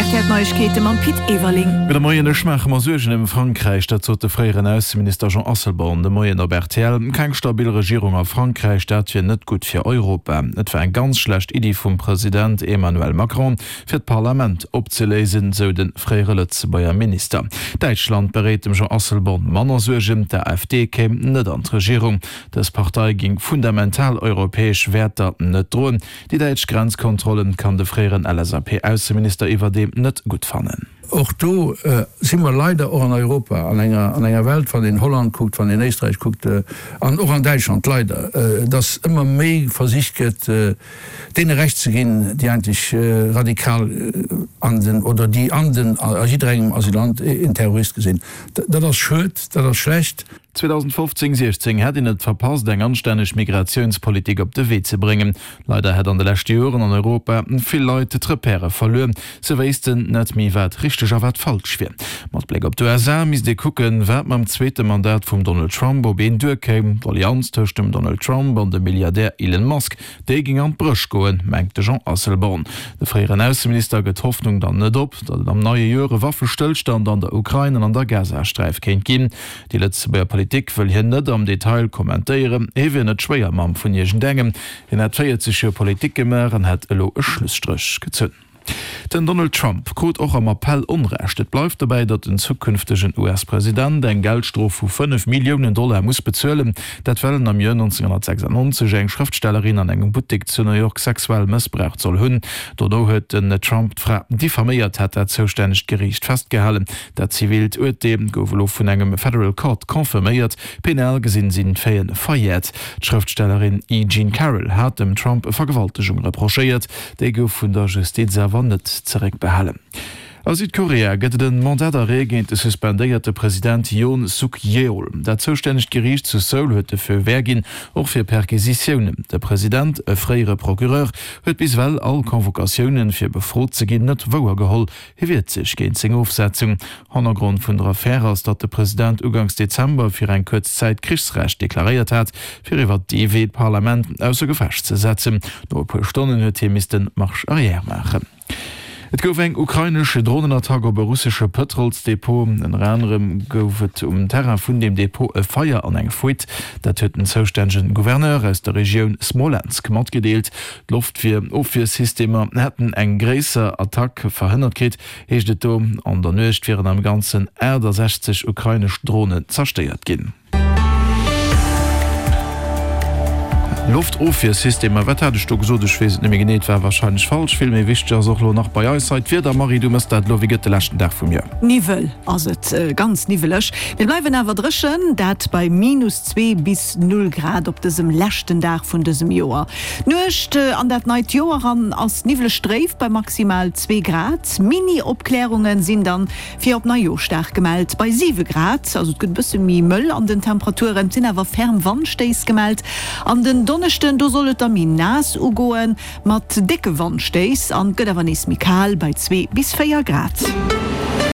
rtl Neiegkeete mam Pit Everling. Gudde Moien, Ech maache mer Suergen ëm Frankräich, dat sot de fréieren Ausseminister Jean Asselborn de Moien op rtl. Keng stabil Regierung a Frankräich, dat wier net gutt fir Europa. Et war eng ganz schlecht Iddi vum President Emmanuel Macron, fir d'Parlament opzeléisen, sou de fréiere Lëtzebuerger Minister. Däitschland beréit dem Jean Asselborn manner Suergen, D'AfD kéim net an d'Regierung. Dës Partei géing fundamental europäesch Wäerter net droen. Déi däitsch Grenzkontrollen kann de fréieren LSAP-Ausseminister iwwerdeem net gutt fannen. Och do si mer leider och an Europa, an enger, an enger Welt, wann een Holland kuckt, wann een Éisträich kuckt an och an Däitschland leider, dass ëmmer méi versicht gëtt, deene Recht ze ginn, déi eigentlech radikal an den, oder déi an den, a jidderengem Asylant een Terrorist gesinn. Dat ass schued, dat ass schlecht. 2015, 16 hätt een et verpasst, eng anstänneg Migratiounspolitik op de Wee ze bréngen. Leider hätt an de leschte Joren an Europa vill Leit d'Repèrë verluer. Se wéissten net méi, wat richteg a wat falsch wier. Mat Bléck op d'USA misst ee kucken, wat mam zweete Mandat vum Donald Trump op een duerkéim. D'Allianz tëscht dem Donald Trump an dem Milliardär Elon Musk, déi géing an d'Bréch goen, mengt de Jean Asselborn. De fréieren Ausseminister gëtt d'Hoffnung dann net op, datt et am neie Joer e Waffestëllstand an der Ukrain an an der Gazasträif kéint ginn. Déi Lëtzebuerger Politik wëll hien net am Detail kommentéieren. Hie wier net Schwéiermamm vun iergendengem. Hien hätt 40 Joer Politik gemaach an hätt elo e Schlusstréch gezunn. Den Donald Trump krut och am Appell Onrecht. Et bleift dobäi, datt den zukünftegen US-President eng Geldstrof vu 5 Milliounen Dollar muss bezuelen. Dat well en am Joer 1996 eng Schrëftstellerin an engem Buttek zu New York sexuell mëssbraucht soll hunn. Dono huet den Trump d'Fra diffaméiert, hat dat zoustännegt Geriicht festgehalen. Dat zivilt Urteel gouf elo vun engem Federal Court confirméiert. Penal gesinn sinn d'Faiten verjäert. D'Schrëftstellerin E. Jean Carroll hat dem Trump Vergewaltegung reprochéiert. Déi gouf vun der Justiz awer net zeréckbehalen. A Südkorea gëtt et en Mandat d'arrêt géint de suspendéierte President Yoon Suk Yeol. Dat zoustännegt Geriicht zu Seoul huet de Feu vert ginn, och fir Perquisitiounen. De President, e fréiere Procureur, huet bis ewell all Convocatiounen, fir befrot ze ginn, net wouergeholl. Hie wiert sech géint seng Ofsetzung. Hannergrond vun der Affär ass, datt de President uganks Dezember fir eng kuerz Zäit Krichsrecht deklaréiert hat, fir iwwer dee Wee d'Parlament ausser Gefecht ze setzen. No e puer Stonnen huet hie misste Marche arrière maachen. Et gouf eng ukrainesch Dronenattack op e russesche Pëtrolsdepot. Ënner anerem gouf et um Terrain vun deem Depot e Feier an eng Fuite. Dat huet den zoustännegen Gouverneur aus der Regioun Smolensk matgedeelt. D'Loftwier-Ofwiersystemer hätten eng gréisser Attack verhënnert kritt, heescht et do. An der Nuecht wieren am Ganzen 68 ukrainesch Dronen zerstéiert ginn. Loftofwiersystemer, wat hat ech do gesot? Ech weess et net méi genee, et war warscheinlech falsch. Vill méi wichteg ass och elo nach bei eis hei d'Wieder. Marie, du mëss dat elo. Wéi gëtt de leschten Dag vum Joer? Niwwel ass et, ganz niwweleg. Mir bleiwen awer dréchen, dat bei minus 2 bis 0 Grad op dësem leschten Dag vun dësem Joer. D'Nuecht an dat neit Joer eran ass niwwleg dréif bei maximal 2 Grad. Mini-Opklärunge sinn dann fir op Neijooschdag gemellt bei 7 Grad, also et gëtt e bësse méi mëll an den Temperaturen. Et sinn awer ferm Wandstéiss gemellt an den Donneschden, do soll et da méi naass ugoen mat décke Wandstéiss an et gëtt awer nees méi kal bei 2 bis 4 Grad.